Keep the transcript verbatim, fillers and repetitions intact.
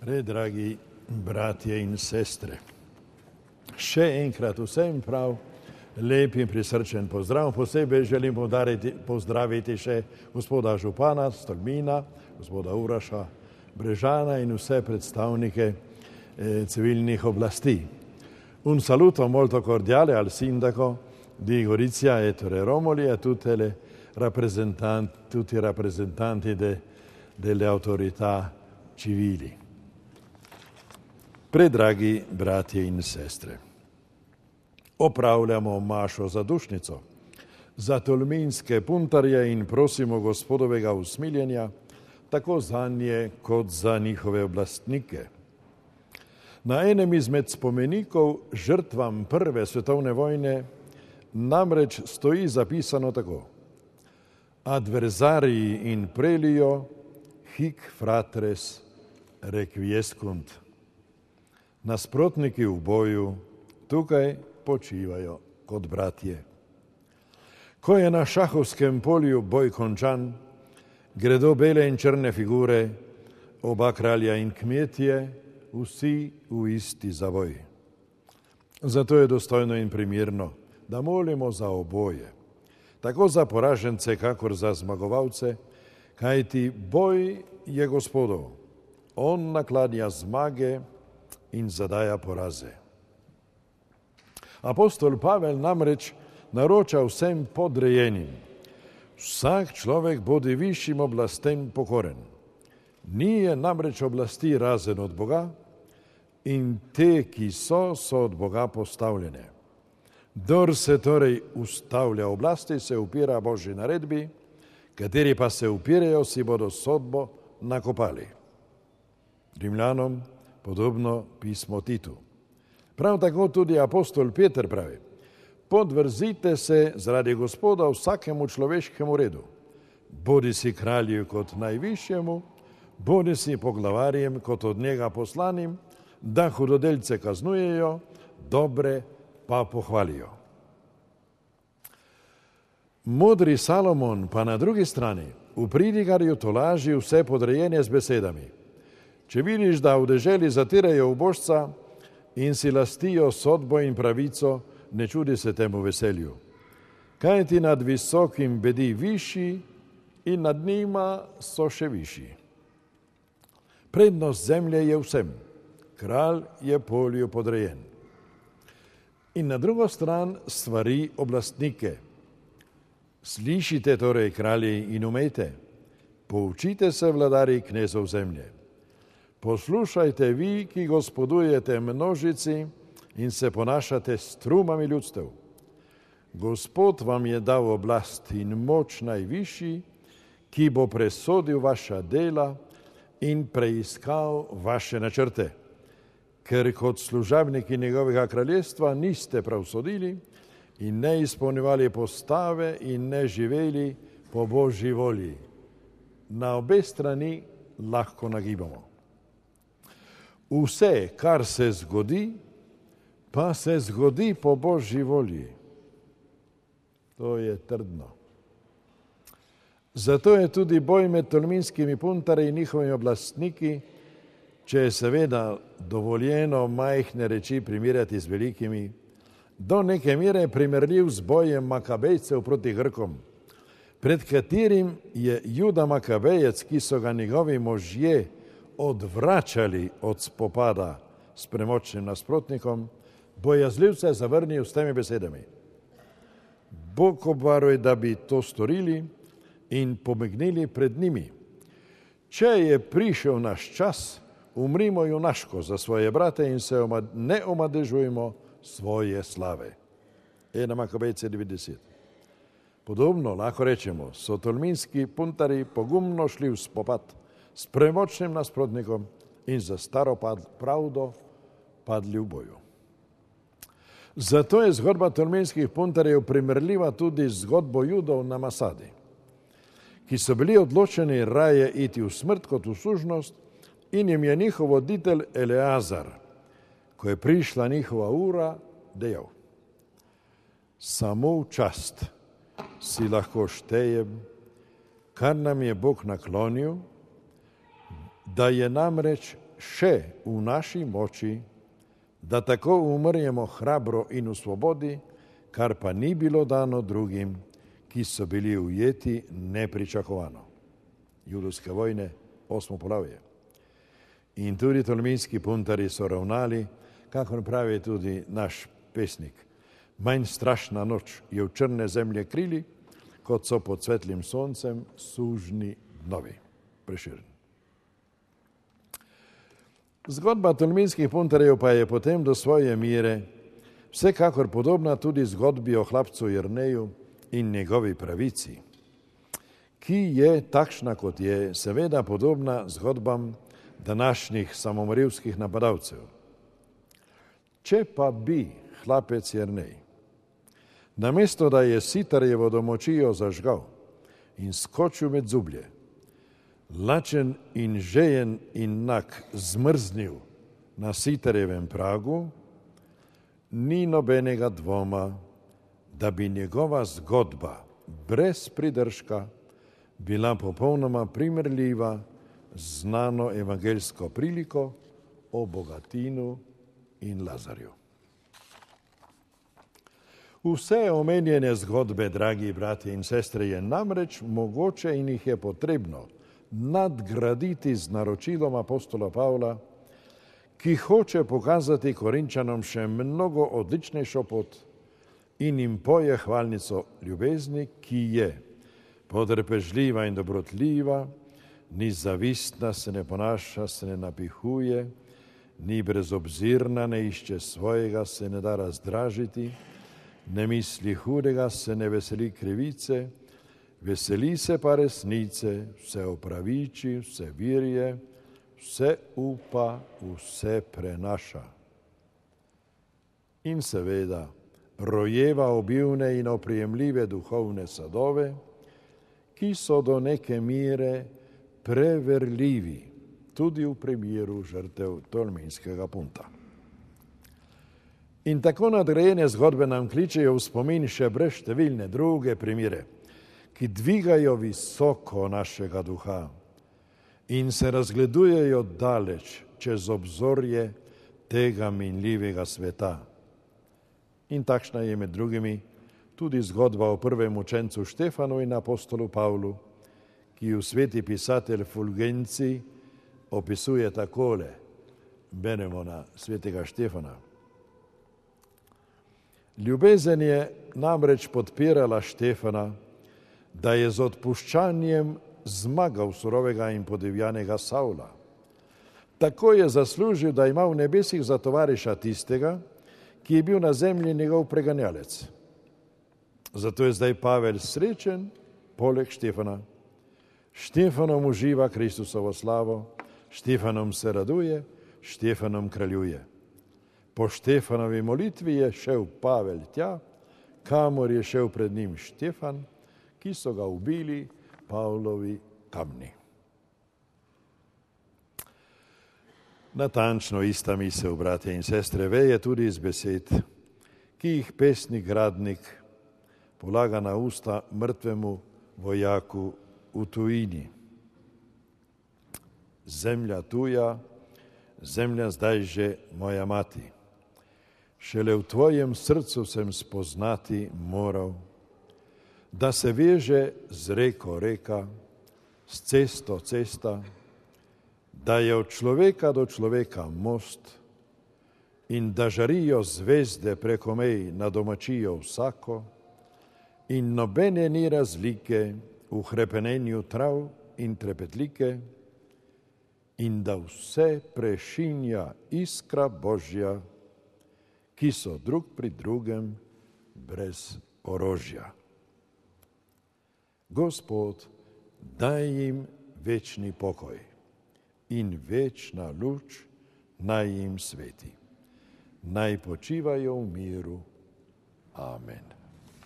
Predragi bratje in sestre, še enkrat vsem prav lep in prisrčen pozdrav. Posebej želim podariti, pozdraviti še gospoda župana Stolmina, gospoda Uraša Brežana in vse predstavnike eh, civilnih oblasti. Un saluto molto cordiale al sindaco di Gorizia Ettore Romoli e a tutte le rappresentanti, tutti i rappresentanti de, delle autorità civili. Predragi bratje in sestre, opravljamo mašo za dušnico, za tolminske puntarje in prosimo gospodovega usmiljenja, tako za nje kot za njihove oblastnike. Na enem izmed spomenikov žrtvam prve svetovne vojne namreč stoji zapisano tako: Adversarii in prelio hic fratres requiescunt. Nasprotniki v boju tukaj počivajo kot bratje. Ko je na šahovskem polju boj končan, gredo bele in črne figure, oba kralja in kmetje, vsi v isti zavoj. Zato je dostojno in primirno, da molimo za oboje, tako za poražence, kakor za zmagovalce, kajti boj je Gospodov. On naklanja zmage in zadaja poraze. Apostol Pavel namreč naroča vsem podrejenim: vsak človek bodi višjim oblastem pokoren. Ni je namreč oblasti razen od Boga in te, ki so, so od Boga postavljene. Kdor se torej ustavlja oblasti, se upira Božji naredbi, kateri pa se upirajo, si bodo sodbo nakopali. Rimljanom podobno pismo Titu. Prav tako tudi apostol Peter pravi: podvrzite se zaradi Gospoda vsakemu človeškemu redu, bodi si kralju kot najvišjemu, bodi si poglavarjem kot od njega poslanim, da hudodelce kaznujejo, dobre pa pohvalijo. Modri Salomon pa na drugi strani v pridigarju tolaži vse podrejene z besedami: če vidiš, da v deželi zatirajo ubožca in si lastijo sodbo in pravico, ne čudi se temu veselju. Kaj ti nad visokim bedi višji in nad njima so še višji. Prednost zemlje je vsem, kralj je polju podrejen. In na drugo stran stvari oblastnike. Slišite torej, kralji, in umejte, poučite se, vladari knezov zemlje. Poslušajte vi, ki gospodujete množici in se ponašate s trumami ljudstev. Gospod vam je dal oblast in moč najvišji, ki bo presodil vaša dela in preiskal vaše načrte. Ker kot služabniki njegovega kraljestva niste prav sodili in ne izpolnjevali postave in ne živeli po Božji volji. Na obe strani lahko nagibamo. Vse, kar se zgodi, pa se zgodi po Božji volji. To je trdno. Zato je tudi boj med tolminskimi puntarji in njihovimi oblastniki, če je seveda dovoljeno majhne reči primerjati z velikimi, do neke mere primerljiv z bojem Makabejcev proti Grkom, pred katerim je Juda Makabejec, ki so ga njegovi možje odvračali od spopada s premočnim nasprotnikom, bojazljivce zavrnil s temi besedami: Bog obvaruj, da bi to storili in pobegnili pred njimi. Če je prišel naš čas, umrimo junaško za svoje brate in se ne omadežujmo svoje slave. Ena Makabejce devetdeset. Podobno lahko rečemo, so tolminski puntari pogumno šli v spopad s premočnim nasprotnikom in za staro pravdo padli v boju. Zato je zgodba tolminskih puntarjev primerljiva tudi z zgodbo Judov na Masadi, ki so bili odločeni raje iti v smrt kot v služnost, in jim je njihov voditelj Eleazar, ko je prišla njihova ura, dejal: samo v čast si lahko štejem, kar nam je Bog naklonil, da je namreč še v naši moči, da tako umrjemo hrabro in v svobodi, kar pa ni bilo dano drugim, ki so bili ujeti nepričakovano. Judovske vojne, osmo poglavje. In tudi tolminski puntarji so ravnali, kakor pravi tudi naš pesnik. Manj strašna noč je v črne zemlje krili, kot so pod svetlim soncem sužni dnovi. Prešeren. Zgodba tolminskih puntarjev pa je potem do svoje mire vsekakor podobna tudi zgodbi o hlapcu Jerneju in njegovi pravici, ki je takšna, kot je, seveda podobna zgodbam današnjih samomorilskih napadalcev. Če pa bi hlapec Jernej, namesto da je Sitarjevo domočijo zažgal in skočil med zublje, lačen in žejen in nag zmrznil na Sitarjevem pragu, ni nobenega dvoma, da bi njegova zgodba brez pridržka bila popolnoma primerljiva z znano evangeljsko priliko o Bogatinu in Lazarju. Vse omenjene zgodbe, dragi bratje in sestre, je namreč mogoče in jih je potrebno nadgraditi z naročilom apostola Pavla, ki hoče pokazati Korinčanom še mnogo odličnejšo pot in jim poje hvalnico ljubezni, ki je potrpežljiva in dobrotljiva, ni zavistna, se ne ponaša, se ne napihuje, ni brezobzirna, ne išče svojega, se ne da razdražiti, ne misli hudega, se ne veseli krivice, veseli se pa resnice, vse opraviči, vse virje, vse upa, vse prenaša. In seveda rojeva obilne in oprijemljive duhovne sadove, ki so do neke mere preverljivi tudi v primeru žrtev tolminskega punta. In tako nadgrajene zgodbe nam kličejo v spomin še brezštevilne druge primere, ki dvigajo visoko našega duha in se razgledujejo daleč čez obzorje tega minljivega sveta. In takšna je med drugimi tudi zgodba o prvem učencu Štefanu in apostolu Pavlu, ki ju sveti pisatelj Fulgenci opisuje takole. Beremo na svetega Štefana. Ljubezen je namreč podpirala Štefana, da je z odpuščanjem zmagal surovega in podivjanega Savla. Tako je zaslužil, da ima v nebesih za tovariša tistega, ki je bil na zemlji njegov preganjalec. Zato je zdaj Pavel srečen poleg Štefana. Štefanom uživa Kristusovo slavo, Štefanom se raduje, Štefanom kraljuje. Po Štefanovi molitvi je šel Pavel tja, kamor je šel pred njim Štefan, ki so ga ubili Pavlovi kamni. Natančno ista misel, bratje in sestre, veje tudi iz besed, ki jih pesnik Gradnik polaga na usta mrtvemu vojaku v tujini. Zemlja tuja, zemlja zdaj že moja mati. Šele v tvojem srcu sem spoznati moral, da se veže z reko reka, s cesto cesta, da je od človeka do človeka most in da žarijo zvezde preko mej na domačijo vsako in nobene ni razlike v hrepenenju trav in trepetlike in da vse prešinja iskra Božja, ki so drug pri drugem brez orožja. Gospod, daj jim večni pokoj in večna luč naj jim sveti. Naj počivajo v miru. Amen.